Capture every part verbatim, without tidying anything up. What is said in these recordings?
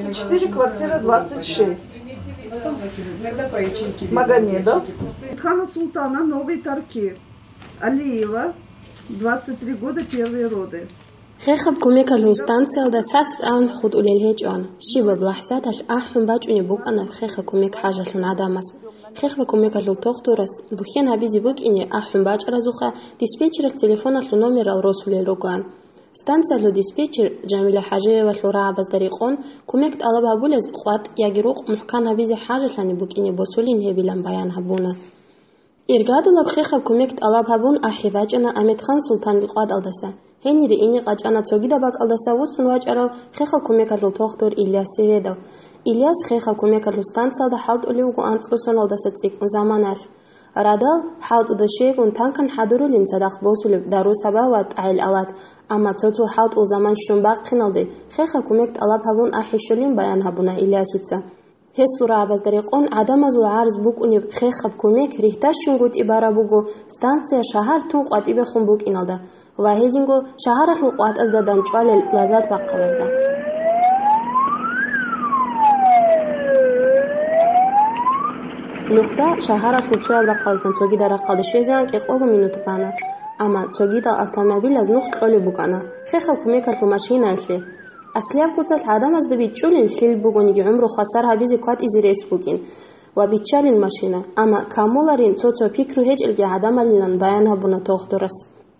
Четыре, квартира двадцать шесть. Магомедов. Хана Султана, Новые Тарки. Алиева, двадцать три года, первые роды. Хехаб кумекалъул станциялда сас-тӀан хутӀулел гьечӀоан. Щибаб лахӀзаталъ ахӀун бачӀунеб букӀана хехаб кумек хӀажалъун гӀадамаз. Хехаб кумекалъул тухтурас бухьен гьабизе букӀине ахӀун бачӀаразухъа диспетчералъ телефоналъул номерал росулел ругоан. Станциялъул диспетчер Жамиля ХӀажиевалъул рагӀабазда рекъон, кумек тӀалаб гьабулез къватӀ яги рукъ мухӀкан гьабизе хӀажалъани букӀине босулин гьебилан баян гьабуна. Иргадулаб хехаб кумек тӀалаб гьабун ахӀи бачӀана Аметхан Султанил къватӀалдаса. Гьенире ине къачӀана цогидаб бакӀалдаса вуссун вачӀарав хехаб кумекалъул тухтур Ильяс Севедов. Ильяс хехаб кумекалъул станциялда хӀалтӀулев вуго анцӀго соналдаса цӀикӀкӀун заманалъ. Радал, хӀалтӀуда щайгун танкан хӀадурулин цадахъ босулеб дару-сабаб ва тӀагӀел-алат, амма цо-цо хӀалтӀул заман щун бахъиналде хехаб кумек тӀалаб гьабун ахӀи щолин баян гьабуна Ильясица. Гьесул рагӀабазда рекъон гӀадамазул гӀарз букӀунеб хехаб кумек рихьдащунгутӀи бараб буго станция шагьар тун къватӀибехун букӀиналда ва гьединго шагьаралъул къватӀазда данчӀвалел лазат бахъабазда. Нухда шагьаралъул цояб рахъалдасан цогидал рахъалде щвезегӀан кӀикъого минут бана, амма цогидал автомобилаз нух кьолеб букӀана, хехаб кумекалъул машинаялъе. Аслияб куцалъ гӀадамазда бичӀчӀулин лъил бугониги гӀумру хвасар гьабизе кватӀизе рес букӀин ва биччалин машина, амма камуларин цо-цо пикру гьечӀелги гӀадамалилан баян гьабуна тухтурас.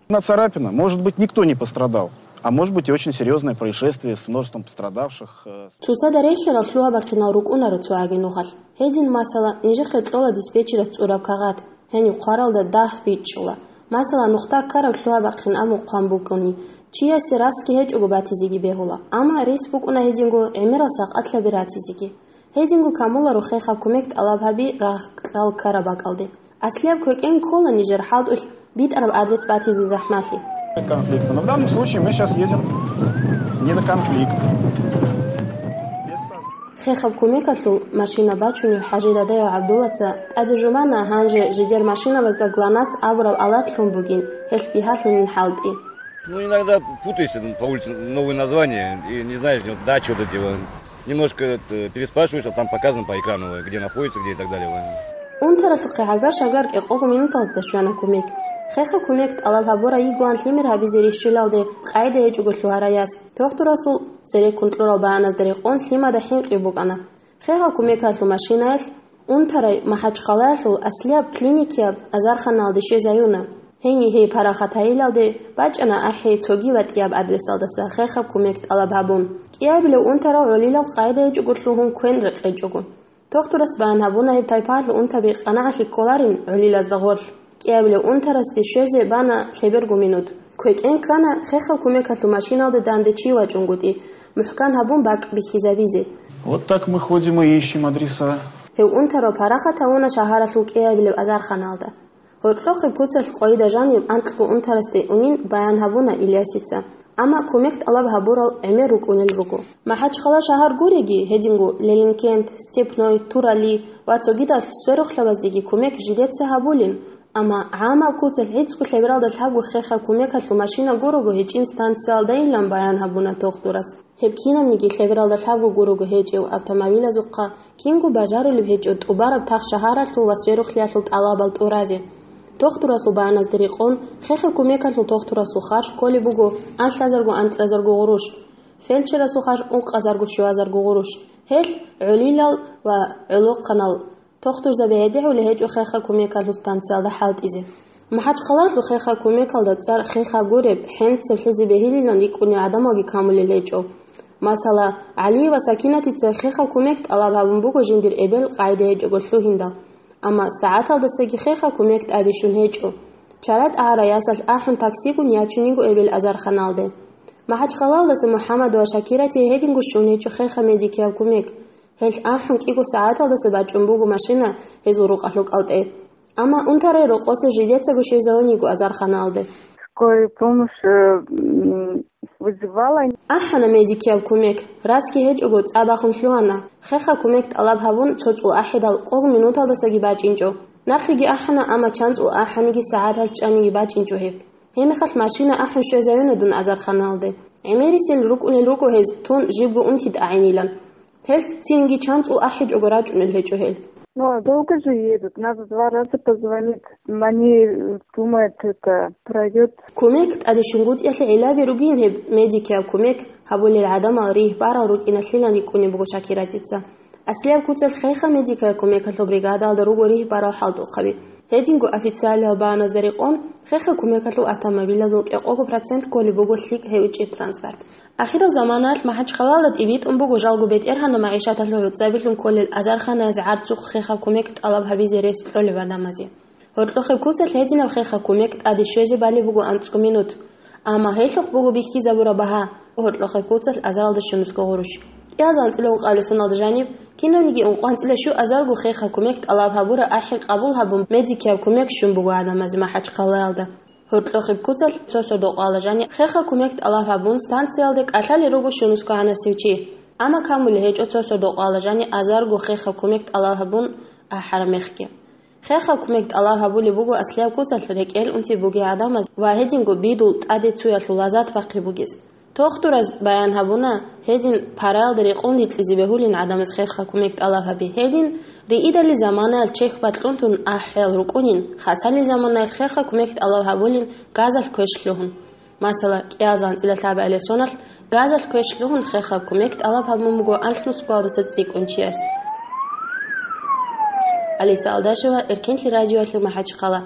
Одна царапина. Может быть, никто не пострадал. А может быть, и очень серьезное происшествие с множеством пострадавших. Э, с- Цоцазда релълъарал лъугьа-бахъинал рукӀунаро цо аги нухалъ. Гьедин, масала, нижехъе кьола диспетчерас цӀураб кагъат. Гьениб хъваралда дагь бичӀчӀула. Масала, нухда ккараб лъугьа-бахъин абун хъван букӀуни, чиясе расги гьечӀого батизеги бегьула. Амма рес букӀуна гьединго гӀемерал сакъатлъаби ратизеги. Гьединго камуларо хехаб кумек тӀалаб гьаби рагъ кьал ккараб бакӀалде. Аслияб квекӀен ккола нижер хӀалтӀулъ битӀараб адрес батизе захӀмалъи. Конфликта. Но в данном случае мы сейчас едем не на конфликт. Без соз- Хехаб кумекалъул машина бачунев ХӀажи Дадаев ГӀабдуллаца тӀаде жумана, гьанже жидер машинабазда ГЛОНАСС абураб алат лъун бугин, гьелъ бигьалъунин хӀалтӀи. Ну, иногда путаешься там по улице, новые названия, и не знаешь, где дачи вот эти вот. Немножко это, переспрашиваешь, а там показано по экрану, где находится, где и так далее. Унтаралъухъе гӀагар-шагар кӀикъого минуталдаса щвана кумек. Хехаб кумек тӀалаб гьабурай йигоан лъимер гьабизе рищулалде къагӀида гьечӀого лъугьарай яс. Тухтурасул цереккун кьурал баяназда рекъон лъимада хӀинкъи букӀана. Хехаб кумекалъул машинаялъ унтарай МахӀачхъалаялъул аслияб клиникияб азарханалде щвезаюна. Гьенив гьей парахат гьайилалде бачӀана ахӀи цоги батӀияб адресалдаса хехаб кумек тӀалаб гьабун. КӀиабилев унтарав гӀолилал къагӀида гьечӀого лъугьун квен рекъечӀого. Тухтурас баян гьабуна гьеб тайпаялъул унтаби къанагӀалъи кколарин гӀолилазда гъорлъ. КӀиабилев унтарасде щвезе бана лъеберго минут. КвекӀен ккана хехаб кумекалъул машиналде данде чи вачӀунгутӀи, мухӀкан гьабун бакӀ бихьизабизе. Вот так мы ходим и ищем адреса. Гьев унтарав парахат гьавуна шагьаралъул кӀиабилеб азарханалда. Гьоркьохъеб куцалъ къойида жанив анкьго унтарасде унин баян гьабуна Ильясица. Амма кумек тӀалаб гьабурал гӀемер рукӀунел руго. МахӀачхъала шагьар гуреги, гьединго Лелинкент, Степной, Турали ва цогидал сверухълъабаздеги кумек жидеца гьабулин, амма гӀамаб куцалъ гӀицӀго лъебералда лъабго хехаб кумекалъул машина гурого гьечӀин станциялдайилан баян гьабуна тухтурас. Гьеб кинабниги лъебералда лъабго гурого гьечӀев автомобилазухъа кинго бажарулеб гьечӀо тӀубараб тах шагьаралъул ва сверухълъиялъул тӀалабал тӀуразе. Тухтурасул баяназда рекъон, хехаб кумекалъул тухтурасул харж кколеб буго анлъазарго-анкьазарго гъурущ, фельдшерасул харж ункъазарго щуазарго гъурущ. Гьелъ гӀолилал ва гӀолохъанал тухтурзаби гӀедегӀулеб гьечӀо хехаб кумекалъул станциялда хӀалтӀизе. МахӀачхъалалъул хехаб кумекалда цӀар хехаб гуреб, хӀинцаблъизе бегьилилан рикӀкӀунел гӀадамалги камулел гьечӀо. Масала, ГӀалиева Сакинатица хехаб кумек тӀалаб гьабун буго жиндир эбел къагӀида гьечӀого лъугьиндал. Амма сагӀаталдасаги хехаб кумек тӀаде щун гьечӀо. Чара тӀагӀарай ясалъ ахӀун таксигун ячун йиго эбел азарханалде. МахӀачхъалалдаса МухӀаммадова Шакирати гьединго щун гьечӀо хехаб медикияб кумек. Гьелъ ахӀун кӀиго сагӀаталдаса бачӀун буго машина гьезул рукъалъул кӀалтӀе. Амма унтарай рокъосе жидецаго щвезавун йиго азарханалде. Скорая помощь, э, м, вызывала. АхӀана медикияб кумек, расги гьечӀого цӀа бахун лъугьана. Хехаб кумек тӀалаб гьабун цо цӀул ахӀидал къого минуталдасаги бачӀинчӀо. Нахъеги ахӀана, амма чан цӀул ахӀаниги сагӀаталъ чӀаниги бачӀинчӀо гьеб. Гьебмехалъ машина ахӀун щвезавуна дун азарханалде. ГӀемерисел рукӀунел руго гьез тун жибго унти тӀагӀинилан. Гьелъ цинги чанцӀул ахӀичӀого рачӀунел гьечӀо гьел. Ну, а долго же едут? Надо два раза позвонить. Они думают, это пройдет. Кумек тӀаде щунгутӀиялъе гӀиллаби ругин гьеб медикияб кумек гьабулел гӀадамал ригь барал рукӀиналъилан рикӀкӀунеб буго Шакиратица. Аслияб куцалъ хеха медикал кумекалъул бригадалда руго ригь барал хӀалтӀухъаби. Гьединго официалиял багьаназда рекъон, хеха кумекалъул автомобилазул кӀикъого процент кколеб буго лъикӀ гьечӀеб транспорт. Ахирал заманаялъ МахӀачхъалаялда тӀибитӀун буго жалго бетӀергьанаб магӀишаталъул гӀуцӀабилъун кколел азарханазе гӀарцухъ хеха кумек тӀалаб гьабизе рес кьолеб гӀадамазе. Гьоркьохъеб куцалъ гьединаб хеха кумек тӀаде щвезе балеб буго анцӀго минут. Амма гьелъухъ буго бихьизабураб багьа, гьоркьохъеб куцалъ азаралда щунусго гъурущ. КӀиазда анцӀила ункъабилеб соналда жаниб, кинавниги ункъо анцӀила щуазарго хеха кумек тӀалаб гьабураб ахӀи къабул гьабун, медикияб кумек щун буго гӀадамазе МахӀачхъалаялда. Гьоркьохъеб куцалъ цо сордо-къоялда жаниб хеха кумек тӀалаб гьабун, станциялде кӀалъалел руго щунусго гӀанасев чи. Амма камулеб гьечӀо цо сордо-къоялда жаниб азарго хеха кумек тӀалаб гьабун ахӀараб мехги. Хеха кумек тӀалаб гьабулеб буго аслияб куцалъ рекӀел унти бугей гӀадамаз ва гьединго бидул тӀаде цуялъул лаззат бахъи бугес. Тохтураз баян гьабуна, гьедин параялда рекъон рикьизе бегьулин гӀадамаз хеха кумек тӀалаб гьаби. Гьедин риидали заманаялъ чехь бакьун тун ахӀиял рукӀунин, хасали заманаялъ хеха кумек тӀалаб гьабулин газалъ квеш лъугьун. Масала, кӀиазда анцӀила лъабабилеб соналъ газалъ квеш лъугьун хеха кумек тӀалаб гьабун буго анлънусго балдаса цӀикӀкӀун чияс. Алиса Алдашева, Эркенлъи радиоялъул МахӀачхъала.